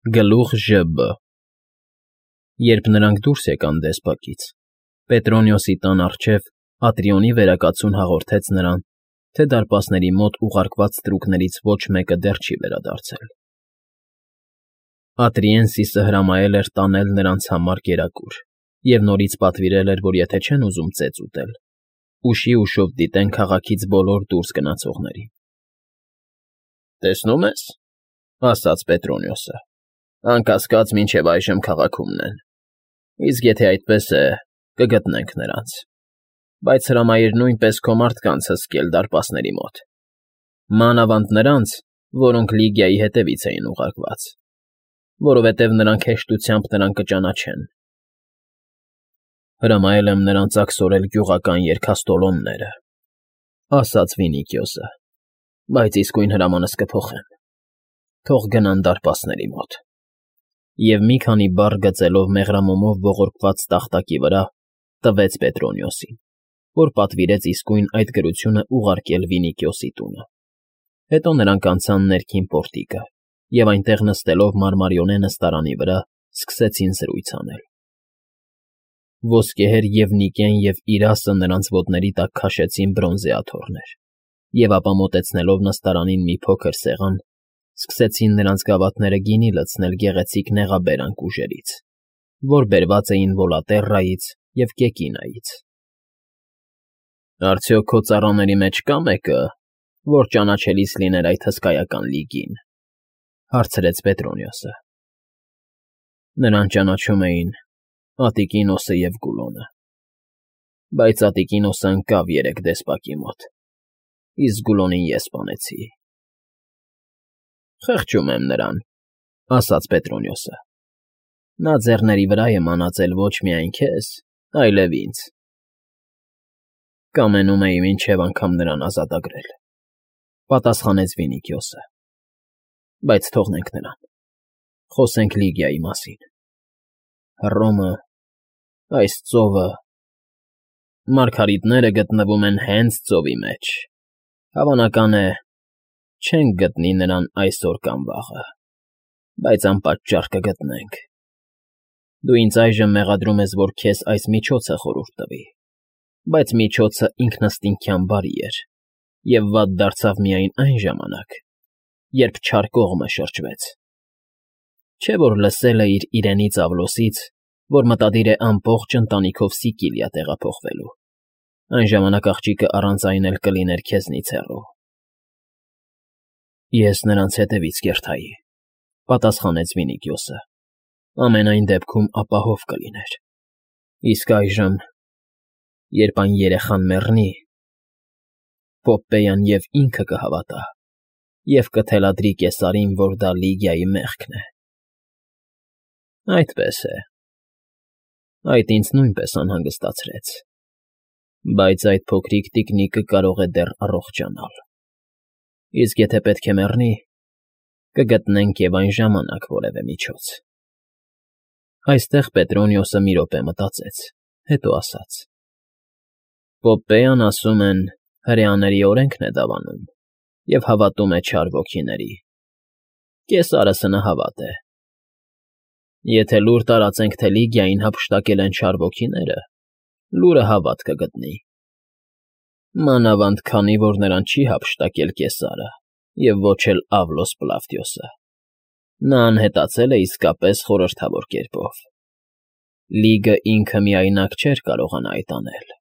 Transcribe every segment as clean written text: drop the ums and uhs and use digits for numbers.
Գլուխ ԺԲ Երբ նրանք դուրս եկան դեսպակից, Պետրոնիոսի տան առջև Ատրիոնի վերակացուն հաղորդեց նրան, թե դարպասների մոտ ուղարկված ստրուկներից ոչ մեկը դեռ չի վերադարձել։ Ատրիենսիսը հրամայել էր տանել նրանց համար կերակուր և նորից պատվիրել էր, որ եթե չեն ուզում ծեծ ուտել, ուշիուշով դիտեն քաղաքից բոլոր դուրս գնացողներին։ ֊ Տեսնում ես,֊ ասաց Պետրոնիոսը,֊ անկասկած մինչև այժմ քաղաքումն են, իսկ եթե այդպես է, կգտնենք նրանց, բայց հրամայիր նույնպես քո մարդկանց հսկել դարպասների մոտ, մանավանդ նրանց, որոնք Լիգիայի հետևից էին ուղարկված, որովհետև նրանք հեշտությամբ նրան կճանաչեն։ Հրամայել եմ նրանց աքսորել գյուղական երգաստոլոնները,֊ ասաց Վինիքիոսը,֊ բայց իսկույն հրամանս կփոխեմ, թող գնան դարպասների մոտ։ Եվ մի քանի բառ գծելով մեղրամոմով ողորկված տախտակի վրա, տվեց Պետրոնիոսին, որ պատվիրեց իսկույն այդ գրությունը ուղարկել Վինիքիոսի տունը։ Հետո նրանք անցան ներքին պորտիկը և այնտեղ նստելով մարմարիոնե նստարանի վրա սկսեցին զրույց անել։ Ոսկեհեր Եվնիկեն և Իրասը նրանց ոտների տակ քաշեցին բրոնզե աթոռներ և ապա մոտեցնելով նստարանին մի փոքր սեղան, սկսեցին նրանց գավաթները գինի լցնել գեղեցիկ նեղաբերան կուժերից, որ բերված էին Վոլատերրայից և Կեկինայից։ ֊ Արդյոք քո ծառաների մեջ կա՞ մեկը, որ ճանաչելիս լիներ այդ հսկայական Լիգին,֊ հարցրեց Պետրոնիոսը։ Նրան ճանաչում էին Ատիկինոսը և Գուլոնը, բայց Ատիկինոսը ընկավ երեկ դեսպակի մոտ, իսկ Գուլոնին ես սպանեցի։ ֊ Խղճում եմ նրան,֊ ասաց Պետրոնիոսը։ Նա ձեռների վրա է մանածել ոչ միայն քեզ, այլև ինձ։ Կամենում էի մինչև անգամ նրան ազատագրել,֊ պատասխանեց Վինիքիոսը։ Բայց թողնենք նրան, խոսենք Լիգիայի մասին։ Հռոմը, այս ծովը… Մարգարիտները գտնվում են հենց ծովի մեջ, հավանական է, չենք գտնի նրան այսօր կամ վաղը, բայց անպատճառ կգտնենք։ Դու ինձ այժմ մեղադրում ես, որ քեզ այս միջոցը խորհուրդ տվի, բայց միջոցը ինքնըստինքյան բարի էր և վատ դարձավ միայն այն ժամանակ, երբ չար կողմը շրջվեց։ Չէ՞ որ լսել էիր իրենից Ավլոսից, որ մտադիր է ամբողջ ընտանիքով Սիկիլիա տեղափոխվելու, այն ժամանակ աղջիկը առանց այն էլ կլիներ քեզնից հեռու։ Ես նրանց հետևից կերթայի,֊ պատասխանեց Վինիքիոսը,֊ ամենայն դեպքում ապահով կլիներ։ Իսկ այժմ, երբ այն երեխան մեռնի, Պոպպեյան և ինքը կհավատա և կթելադրի Կեսարին, որ դա Լիգիայի մեղքն է։ Այդպես է։ Այդ ինձ նույնպես անհանգստացրեց, բայց այդ փոքրիկ տիկնիկը կարող է դեռ առողջանալ։ Իսկ եթե պետք է մեռնի, կգտնենք և այն ժամանակ որևէ միջոց։ Այստեղ Պետրոնիոսը մի րոպե մտածեց, հետո ասաց. Պոպպեյան, ասում են, հրեաների օրենքն է դավանում և հավատում է չար ոգիների։ Կեսարը սնահավատ է։ Եթե լուր տարածենք, թե Լիգիային հափշտակել են չար ոգիները, լուրը հավատ կգտնի։ Մանավանդ քանի որ նրան չի հափշտակել Կեսարը և ոչ էլ Ավլոս Պլավդիոսը։ Նա անհետացել է իսկապես խորհրդավոր կերպով։ Լիգը ինքը միայնակ չէր կարողանա այդ անել։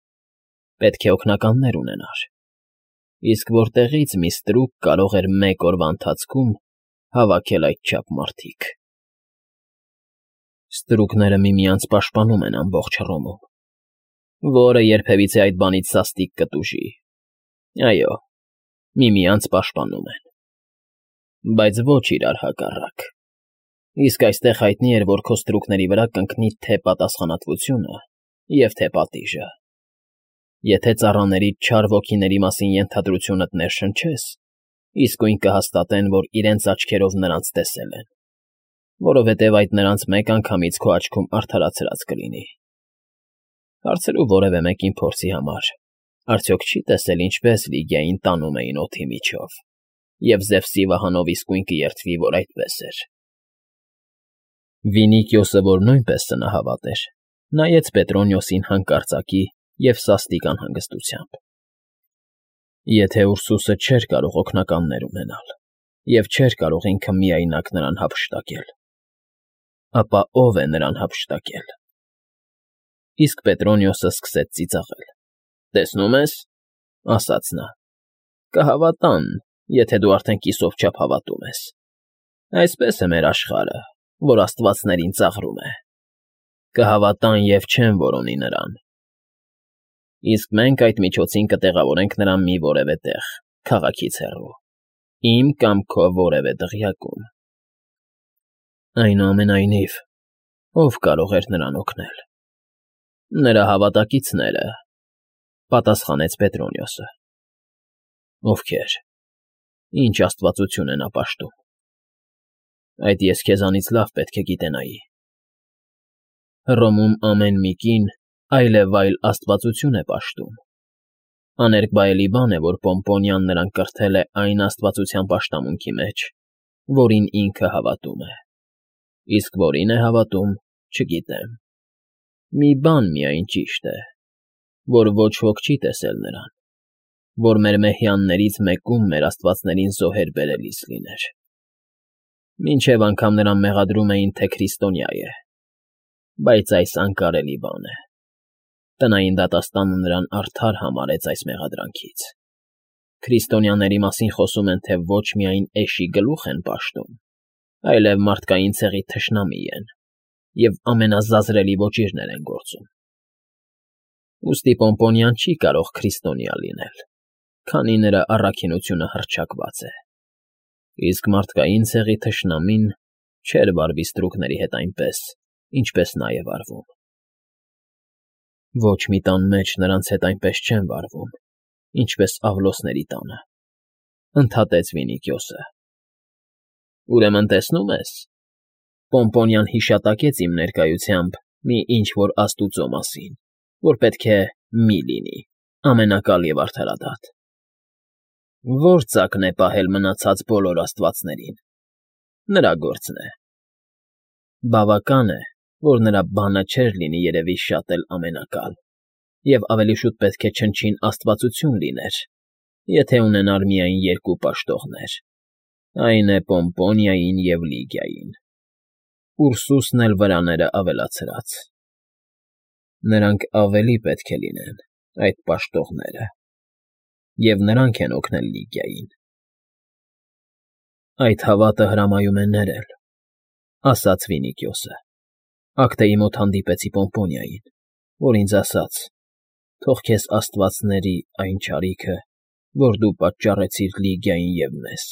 Պետք է օգնականներ ունենար։ Իսկ որտեղից մի ստրուկ կարող էր մեկ օրվա ընթացքում հավաքել այդչափ մարդիկ։ Ստրուկները միմյանց պաշտպանում են ամբողջ Հռոմում, որը երբևիցե այդ բանից սաստիկ կտուժի։ Այո, միմյանց պաշտպանում են, բայց ոչ իրար հակառակ։ Իսկ այստեղ հայտնի էր, որ քո ստրուկների վրա կընկնի թե պատասխանատվությունը և թե պատիժը։ Եթե ծառաներիդ չար ոգիների մասին ենթադրությունդ ներշնչես, իսկույն կհաստատեն, որ իրենց աչքերով նրանց տեսել են, որովհետև այդ նրանց մեկ անգամից քո աչքում արդարացրած կլինի։ Հարցրու որևէ մեկին փորձի համար, արդյոք չի տեսել ինչպես Լիգիային տանում էին օդի միջով, և Զևսի վահանով իսկույն կերդվի, որ այդպես էր։ Վինիկիոսը, որ նույնպես սնահավատ էր, նայեց Պետրոնիոսին հանկարծակի և սաստիկ անհանգստությամբ։ Եթե Ուրսուսը չէր կարող օգնականներ ունենալ և չէր կարող ինքը միայնակ նրան հափշտակել, ապա ո՞վ է նրան հափշտակել։ Իսկ Պետրոնիոսը սկսեց ծիծաղել։ «Տեսնում ես,֊ ասաց նա,֊ կհավատան, եթե դու արդեն կիսով չափ հավատում ես։ Այսպես է մեր աշխարհը, որ աստվածներին ծաղրում է։ Կհավատան և չեն որոնի նրան։ Իսկ մենք այդ միջոցին կտեղավորենք նրան մի որևէ տեղ, քաղաքից հեռու, իմ կամ քո որևէ դղյակում»։ Այնուամենայնիվ, ո՞վ կարող էր նրան օգնել։ «Նրա հավատակիցները,֊ պատասխանեց Պետրոնիոսը։ Ովքեր։ Ինչ աստվածություն են ապաշտում։ Այդ ես քեզանից լավ պետք է գիտենայի։ Հռոմում ամեն մի կին այլևայլ աստվածություն է պաշտում։ Աներկբայելի բան է, որ Պոմպոնիան նրան կրթել է այն աստվածության պաշտամունքի մեջ, որին ինքը հավատում է։ Իսկ որին է հավատում, չգիտեմ։ Մի բան միայն ճիշտ է, որ ոչ ոք չի տեսել նրան, որ մեր մեհյաններից մեկում մեր աստվածներին զոհեր բերելիս լիներ։ Մինչև անգամ նրան մեղադրում էին, թե քրիստոնյա է, բայց այս անկարելի բան է։ Տնային դատաստանը նրան արդար համարեց այս մեղադրանքից։ Քրիստոնյաների մասին խոսում են, թե ոչ միայն էշի գլուխ են պաշտում, այլև մարդկային ցեղի թշնամի են և ամենազազրելի ոճիրներ են գործում։ Ուստի Պոմպոնիան չի կարող քրիստոնյա լինել, քանի նրա առաքինությունը հռչակված է, իսկ մարդկային ցեղի թշնամին չէր վարվի ստրուկների հետ այնպես, ինչպես նա է վարվում։ Ոչ մի տան մեջ նրանց հետ այնպես չեն վարվում, ինչպես Ավլոսների տանը, ընդհատեց Վինիկիոսը։ Ուրեմն տեսնում ես, Պոմպոնիան հիշատակեց իմ ներկայությամբ մի ինչ֊որ աստուծո մասին, որ պետք է մի լինի, ամենակալ և արդարադատ։ Ո՞ր ծակն է պահել մնացած բոլոր աստվածներին։ Նրա գործն է։ Բավական է, որ նրա բանը չէր լինի երևի շատ էլ ամենակալ, և ավելի շուտ պետք է չնչին աստվածություն լիներ, եթե ունենար միայն երկու պաշտողներ, այն է Պոմպոնիային և Լիգիային։ Ուրսուսն էլ վրաները ավելացրած։ Նրանք ավելի պետք է լինեն, այդ պաշտողները, և նրանք են օգնել Լիգիային։ Այդ հավատը հրամայում է ներել, ասաց Վինիկիոսը։ Ակտեի մոտ հանդիպեցի Պոմպոնիային, որ ինձ ասաց. թող քեզ աստվածների այն չարիքը, որ դու պատճառեցիր Լիգիային և մեզ։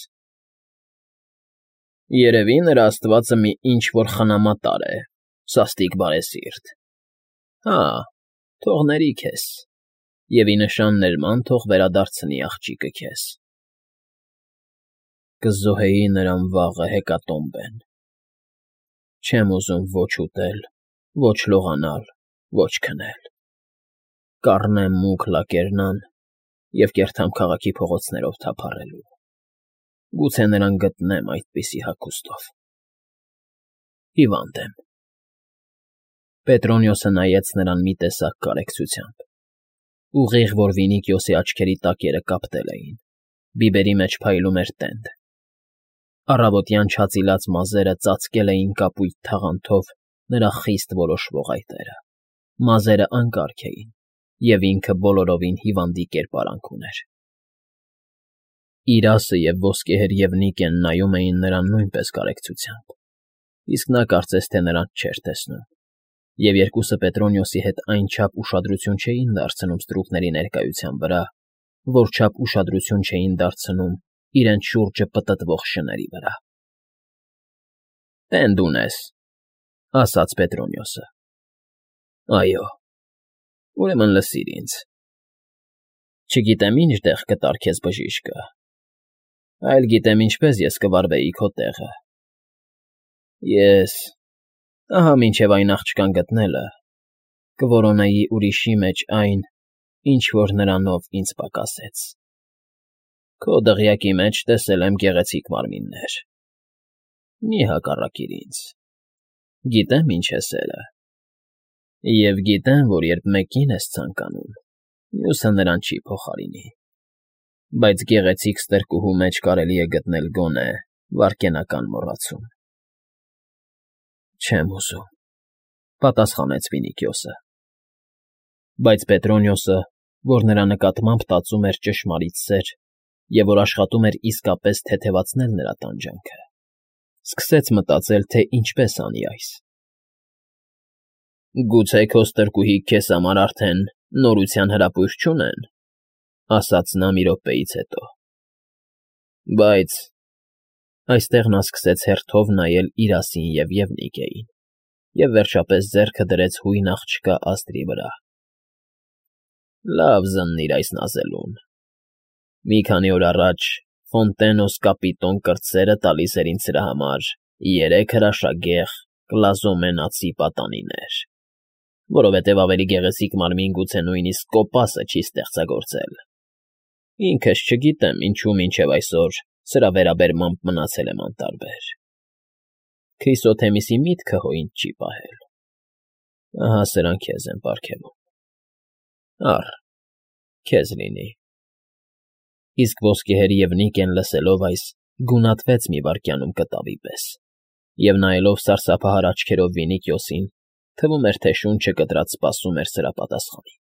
Երևի նրա աստվածը մի ինչ֊որ խնամատար է, սաստիկ բարեսիրտ։ Հա, թող ների քեզ, և ի նշան ներման թող վերադարձնի աղջիկը քեզ։ Կզոհեի նրան վաղը հեկատոմբեն։ Չեմ ուզում ոչ ուտել, ոչ լողանալ, ոչ քնել։ Կառնեմ մուգ լակերնան և կերթամ քաղաքի փողոցներով թափառելու։ Գուցե նրան գտնեմ այդպիսի հագուստով։ Հիվանդ եմ։ Պետրոնիոսը նայեց նրան մի տեսակ կարեկցությամբ, ուղիղ, որ Վինիկիոսի աչքերի տակերը կապտել էին, բիբերի մեջ փայլում էր տենդ։ Առավոտյան չածիլած մազերը ծածկել էին կապույտ թաղանթով նրա խիստ որոշվող այտերը։ Մազերը անկարգ էին, և ինքը բոլորովին հիվանդի կերպարանք ուներ։ Իրասը և ոսկեհեր և Նիկեն նայում էին նրան նույնպես կարեկցությամբ, իսկ նա կարծես թե նրանց չէր տեսնում, և երկուսը Պետրոնիոսի հետ այնչափ ուշադրություն չէին դարձնում ստրուկների ներկայության վրա, որչափ ուշադրություն չէին դարձնում իրենց շուրջը պտտվող շների վրա։ Տենդ ունես,֊ ասաց Պետրոնիոսը։ Այո, ուրեմն լսիր ինձ։ Չգիտեմ ինչ տեղ կտար քեզ բժիշկը, այլ գիտեմ ինչպես ես կվարվեի քո տեղը։ Ես, ահա մինչև այն աղջկան գտնելը, կորոնեի ուրիշի մեջ այն, ինչ որ նրանով ինձ պակասեց։ Քո դղյակի մեջ տեսել եմ գեղեցիկ մարմիններ։ Մի հակառակիր ինձ։ Գիտեմ ինչ է սերը, և գիտեմ, որ երբ մեկին ես ցանկանում, մյուսը նրան չի փոխարինի, բայց գեղեցիկ ստրկուհու մեջ կարելի է գտնել գոնե վայրկենական մոռացում։ Չեմ ուզում,֊ պատասխանեց Ֆինիկիոսը։ Բայց Պետրոնիոսը, որ նրա նկատմամբ տածում էր ճշմարիտ սեր և որ աշխատում էր իսկապես թեթևացնել նրա տանջանքը, սկսեց մտածել, թե ինչպես անի այս։ «Գուցե քո ստրկուհիք քեզ համար արդեն նորության հրապույր չունեն,֊ ասաց նա մի րոպեից հետո,֊ բայց…» Այստեղ նա սկսեց հերթով նայել Իրասին և Եվնիկեին և վերջապես ձեռքը դրեց հույն աղջկա Աստրի վրա։ «Լավ զննիր այս նազելուն. մի քանի օր առաջ Ֆոնտենոս կապիտոն կրտսերը տալիս էր ինձ սրա համար 3 հրաշագեղ կլազոմենացի պատանիներ, որովհետև ավելի գեղեցիկ մարմին գուցե նույնիսկ կոպասը չի ստեղծագործել։ Ինքս չգիտեմ ինչու մինչև այսօր սրա վերաբերմամբ մնացել եմ անտարբեր։ Քրիսոթեմիսի միտքը հո ինձ չի պահել։ Ահա սրանք քեզ եմ պարգևում։ Առ, քեզ լինի»։ Իսկ ոսկեհեր Եվնիկեն լսելով այս, գունատվեց մի վայրկյանում կտավի պես, և նայելով սարսափահար աչքերով Վինիկիոսին, թվում էր, թե շունչը կտրած սպասում էր սրա պատասխանին։